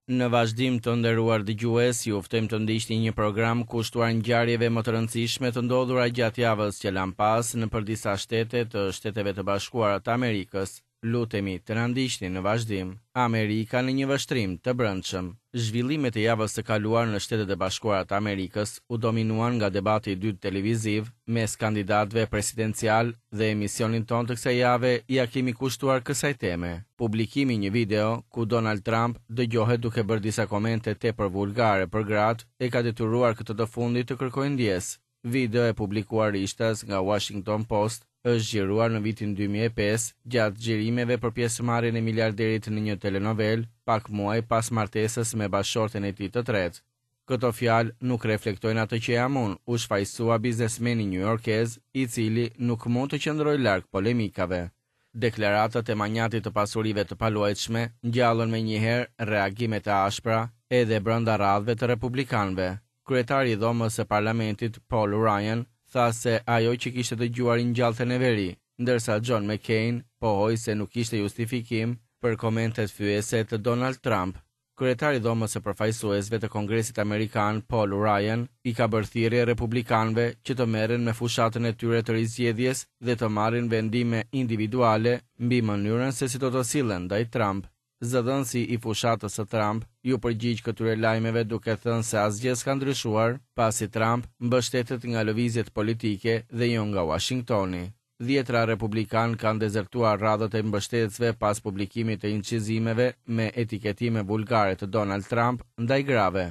Në vazhdim të nderuar dëgjues, ju ftojmë të ndiqni një program kushtuar ngjarjeve më të rëndësishme të ndodhura gjatë javës që lamë pas nëpër disa shtete të Shteteve të Bashkuara të Amerikës. Lutemi të na ndiqni në vazhdim. Amerika në një vështrim të brendshëm. Zhvillimet e javës së kaluar në Shtetet e Bashkuara të Amerikës u dominuan nga debati i dytë televiziv mes kandidatëve presidencialë dhe emisionin tonë të kësaj jave ia kemi kushtuar kësaj teme. Publikimi i një video, ku Donald Trump dëgjohet duke bërë disa komente tepër vulgare për gratë, e ka detyruar këtë të fundit të kërkojë ndjesë. Video e publikuar rishtas nga Washington Post është xhiruar në vitin 2005 gjatë xhirimeve për pjesëmarrjen e miliarderit në një telenovelë, pak muaj pas martesës me bashkëshorten e tij të tretë. Këto fjalë nuk reflektojnë atë që jam unë, u shfajësua biznesmeni njujorkez, i cili nuk mund të qëndrojë larg polemikave. Deklaratat e manjatit të pasurive të paluajtshme ngjallën menjëherë reagime të ashpra edhe brenda radhëve të republikanëve. Kryetari i Dhomës së Parlamentit, Paul Ryan, tha se ajo që kishte dëgjuar i ngjallte neveri, ndërsa John McCain pohoi se nuk kishte justifikim për komentet fyese të Donald Trump. Kryetari i Dhomës së Përfaqësuesve të Kongresit Amerikan, Paul Ryan, i ka bërë thirrje republikanëve që të merren me fushatën e tyre të rizgjedhjes dhe të marrin vendime individuale mbi mënyrën se si do të sillen ndaj Trump. Zëdhënësi i fushatës së Trump iu përgjigj këtyre lajmeve duke thënë se asgjë s'ka ndryshuar, pasi Trump mbështetet nga lëvizjet politike dhe jo nga Uashingtoni. Dhjetëra republikanë kanë dezertuar radhët e mbështetësve pas publikimit të incizimeve me etiketime vulgare të Donald Trump ndaj grave.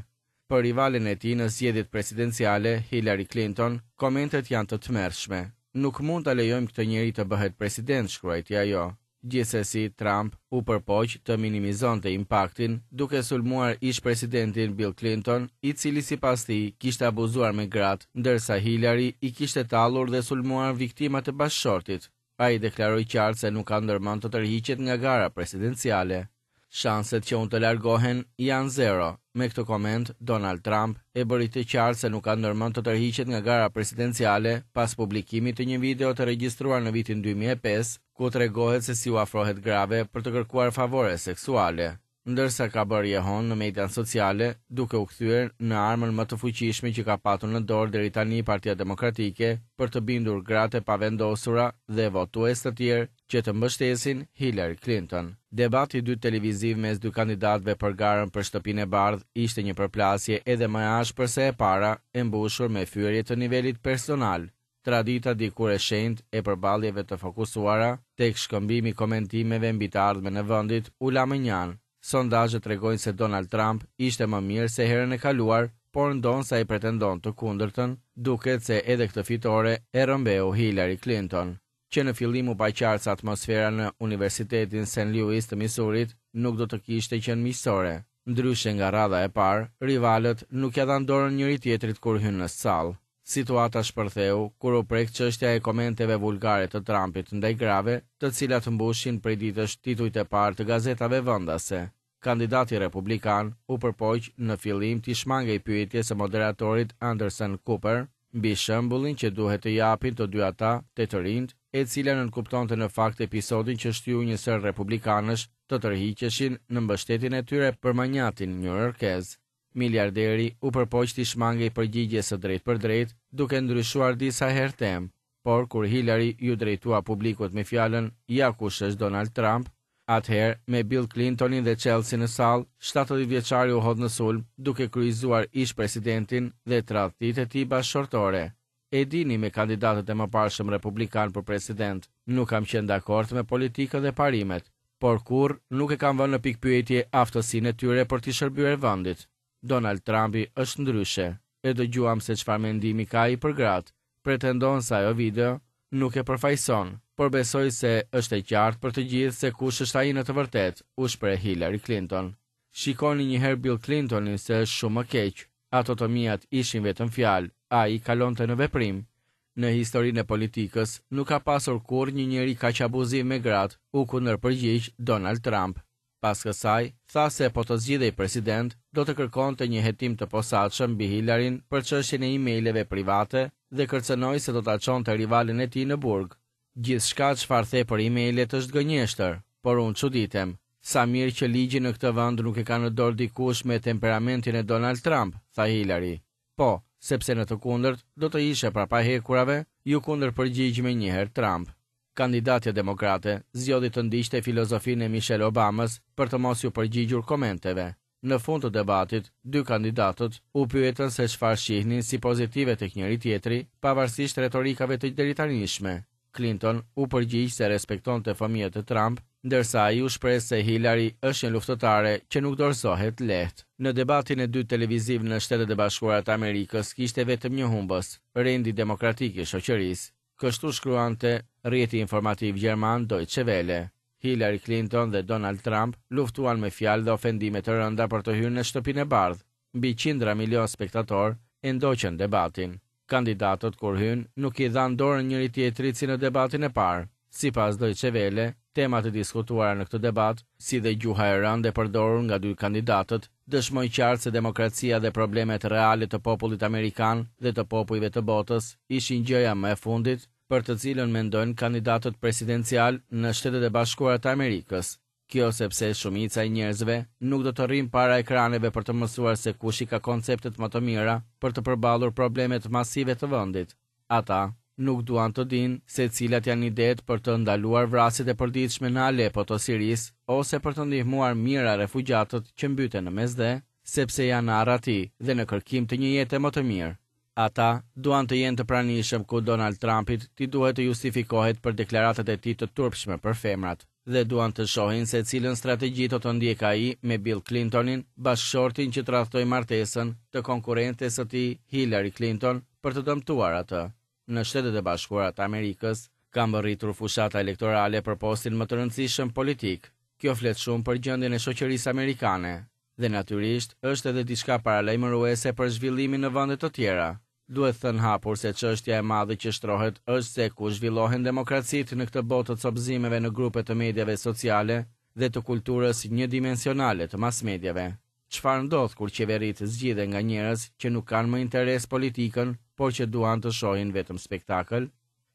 Për rivalen e tij në zgjedhjet presidenciale, Hillary Clinton, komentet janë të tmerrshme. Nuk mund ta lejojmë këtë njeri të bëhet president, shkruajti ajo. Gjithsesi, Trump u përpoq të minimizonte impaktin, duke sulmuar ish-presidentin Bill Clinton, i cili sipas tij kishte abuzuar me gratë, ndërsa Hillary i kishte tallur dhe sulmuar viktimat e bashkëshortit. Ai deklaroi qartë se nuk ka ndërmend të tërhiqet nga gara presidenciale. Shanset që unë të largohem janë zero. Me këtë koment, Donald Trump e bëri të qartë se nuk ka ndërmend të tërhiqet nga gara presidenciale pas publikimit të një video të regjistruar në vitin 2005, ku tregohet se si u afrohet grave për të kërkuar favore seksuale. Ndërsa ka bërë jehonë në median sociale, duke u kthyer në armën më të fuqishme që ka patur në dorë deri tani Partia Demokratike për të bindur gratë e pavendosura dhe votues të tjerë që të mbështesin Hillary Clinton. Debati i dytë televiziv mes dy kandidatëve për garën për Shtëpinë e Bardhë ishte një përplasje edhe më e ashpër se e para, e mbushur me fyerje të nivelit personal. Tradita dikur e shenjtë e përballjeve të fokusuara tek shkëmbimi i komentimeve mbi të ardhmen e vendit u la mënjanë. Sondazhet tregojnë se Donald Trump ishte më mirë se herën e kaluar, por ndonëse ai pretendon të kundërtën, duket se edhe këtë fitore e rrëmbeu Hillary Clinton. Që në fillim u pa qartë se atmosfera në Universitetin St. Louis të Misurit nuk do të kishte qenë miqësore. Ndryshe nga radha e parë, rivalët nuk ia dhanë dorën njëri-tjetrit kur hynë në sallë. Situata shpërtheu kur u prek çështja e komenteve vulgare të Trumpit ndaj grave, të cilat mbushin prej ditësh titujt e parë të gazetave vendase. Kandidati republikan u përpoq në fillim t'i shmangej pyetjes së moderatorit Anderson Cooper mbi shembullin që duhet të japin të dy ata te të rinjtë, e cila nënkuptonte në fakt episodin që shtyu një sërë republikanësh të tërhiqeshin në mbështetjen e tyre për manjatin njujorkez. Miliarderi u përpoq t'i shmangej përgjigjes së drejtpërdrejtë, duke ndryshuar disa herë temë, por kur Hillary iu drejtua publikut me fjalën Ja kush është Donald Trump, atëherë, me Bill Clintonin dhe Chelsea në sallë, 70 vjeçari u hodh në sulm, duke kryqëzuar ish-presidentin dhe tradhtitë e tij bashkëshortore. E dini me kandidatët e mëparshëm republikanë për president, nuk kam qenë dakord me politikën dhe parimet, por kurrë nuk e kam vënë në pikëpyetje aftësinë e tyre për t'i shërbyer vendit. Donald Trumpi është ndryshe. E dëgjuam se çfarë mendimi ka ai për gratë. Pretendon se ajo video nuk e përfaqëson, por besoj se është e qartë për të gjithë se kush është ai në të vërtetë, u shpreh Hillary Clinton. Shikoni një herë Bill Clintonin se është shumë më keq. Ato të miat ishin vetëm fjalë, ai kalonte në veprim. Në historinë e politikës nuk ka pasur kurrë një njeri kaq abuziv me gratë, u kundërpërgjigj Donald Trump. Pas kësaj, tha se po të zgjidhej president, do të kërkonte një hetim të posaçëm mbi Hillaryn për çështjen e emaileve private dhe kërcënoi se do ta çonte rivalen e tij në burg. Gjithçka çfarë the për emailet është gënjeshtër, por unë çuditem. Sa mirë që ligjin në këtë vend nuk e ka në dorë dikush me temperamentin e Donald Trump, tha Hillary. Po, sepse në të kundërt do të ishe prapa hekurave, iu kundërpërgjigj menjëherë Trump. Kandidatja demokrate zgjodhi të ndiqte filozofinë e Michelle Obamës për të mos iu përgjigjur komenteve. Në fund të debatit, dy kandidatët u pyetën se çfarë shihnin si pozitive tek njëri-tjetri, pavarësisht retorikave të deritanishme. Clinton u përgjigj se respektonte fëmijët e Trump, ndërsa ai u shpreh se Hillary është një luftëtare që nuk dorëzohet lehtë. Në debatin e dytë televiziv në Shtetet e Bashkuara të Amerikës kishte vetëm një humbës, rendi demokratik i shoqërisë. Kështu shkruante rrjeti informativ gjerman Deutsche Welle. Hillary Clinton dhe Donald Trump luftuan me fjalë dhe ofendime të rënda për të hyrë në Shtëpinë e Bardhë. Mbi qindra milionë spektatorë e ndoqën debatin. Kandidatët kur hynë nuk i dhanë dorën njëri-tjetrit si në debatin e parë. Sipas Deutsche Welle, temat e diskutuara në këtë debat, si dhe gjuha e rëndë e përdorur nga dy kandidatët, dëshmoi qartë se demokracia dhe problemet reale të popullit amerikan dhe të popujve të botës ishin gjëja më e fundit për të cilën mendojnë kandidatët presidencialë në Shtetet e Bashkuara të Amerikës. Kjo sepse shumica e njerëzve nuk do të rrinë para ekraneve për të mësuar se kush i ka konceptet më të mira për të përballur problemet masive të vendit. Ata nuk duan të dinë se cilat janë idetë për të ndaluar vrasjet e përditshme në Aleppo të Sirisë ose për të ndihmuar mijëra refugjatët që mbyten në Mesdhe, sepse janë në arrati dhe në kërkim të një jete më të mirë. Ata duan të jenë të pranishëm ku Donald Trumpit t'i duhet të justifikohet për deklaratat e tij të turpshme për femrat dhe duan të shohin se cilën strategji do të ndjekë ai me Bill Clintonin, bashkëshortin që tradhtoi martesën të konkurrentes së tij Hillary Clinton për të dëmtuar atë. Në Shtetet e Bashkuara të Amerikës ka mbërritur fushata elektorale për postin më të rëndësishëm politik. Kjo flet shumë për gjendjen e shoqërisë amerikane. Dhe natyrisht, është edhe diçka paralajmëruese për zhvillimin në vende të tjera. Duhet thënë hapur se çështja e madhe që shtrohet është se ku zhvillohen demokracitë në këtë botë të copëzimeve në grupe të mediave sociale dhe të kulturës njëdimensionale të masmediave. Çfarë ndodh kur qeveritë zgjidhen nga njerëz që nuk kanë më interes politikën, por që duan të shohin vetëm spektakël?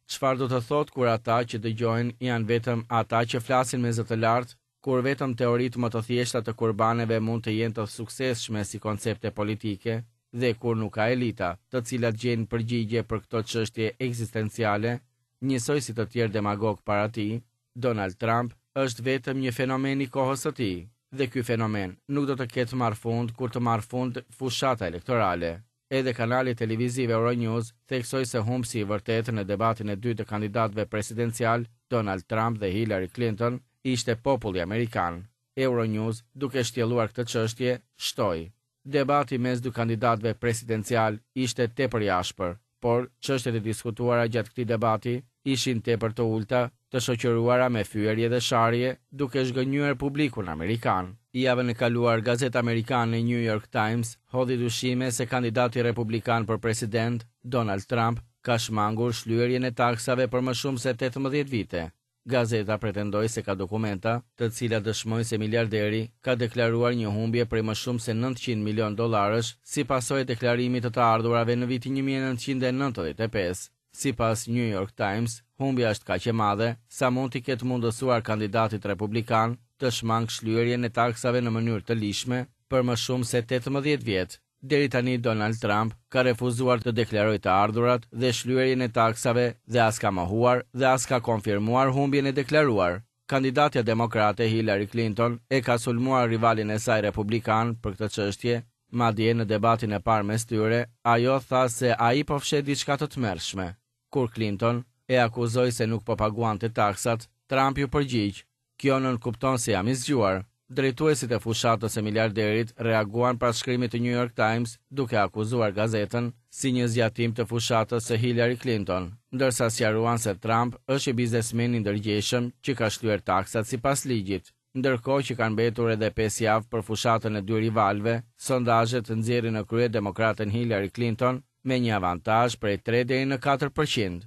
Çfarë do të thotë kur ata që dëgjohen janë vetëm ata që flasin me zë të lartë? Kur vetëm teoritë më të thjeshta të kurbaneve mund të jenë të suksesshme si koncepte politike, dhe kur nuk ka elita, të cilat gjejnë përgjigje për këto çështje ekzistenciale, njësoj si të tjerë demagogë para tij, Donald Trump është vetëm një fenomen i kohës së tij, dhe ky fenomen nuk do të ketë marrë fund kur të marrë fund fushata elektorale. Edhe kanali televiziv Euronews theksoi se humbësi i vërtetë në debatin e dytë të kandidatëve presidencialë, Donald Trump dhe Hillary Clinton, ishte populli amerikan. Euronews, duke shtjelluar këtë çështje, shtoi, Debati mes dy kandidatëve presidencialë ishte tepër i ashpër, por çështjet e diskutuara gjatë këtij debati ishin tepër të ulëta, të shoqëruara me fyerje dhe sharje, duke zhgënjyer publikun amerikan. Javën e kaluar, gazeta amerikane New York Times hodhi dyshime se kandidati republikan për president, Donald Trump, ka shmangur shlyerjen e taksave për më shumë se 18 vite. Gazeta pretendoi se ka dokumenta, të cilat dëshmojnë se miliarderi ka deklaruar një humbje prej më shumë se 900 milionë dollarësh si pasojë e deklarimit të të ardhurave në vitin 1995. Sipas New York Times, humbja është kaq e madhe, sa mund t'i ketë mundësuar kandidatit republikan të shmangë shlyerjen e taksave në mënyrë të ligjshme për më shumë se 18 vjet. Deri tani Donald Trump ka refuzuar të deklarojë të ardhurat dhe shlyerjen e taksave dhe as ka mohuar dhe as ka konfirmuar humbjen e deklaruar. Kandidatja demokrate Hillary Clinton e ka sulmuar rivalin e saj republikan për këtë çështje, madje në debatin e parë mes tyre, ajo tha se ai po fsheh diçka të tmerrshme. Kur Clinton e akuzoi se nuk po paguante taksat, Trump iu përgjigj, Kjo nënkupton se jam i zgjuar. Drejtuesit e fushatës së miliarderit reaguan pas shkrimit të New York Times duke akuzuar gazetën si një zgjatim të fushatës së Hillary Clinton, ndërsa sqaruan se Trump është një biznesmen i ndërgjegjshëm që ka shlyer taksat sipas ligjit. Ndërkohë që kanë mbetur edhe 5 javë për fushatën e dy rivalëve, sondazhet nxjerrin në krye demokraten Hillary Clinton me një avantazh prej 3 deri në 4%.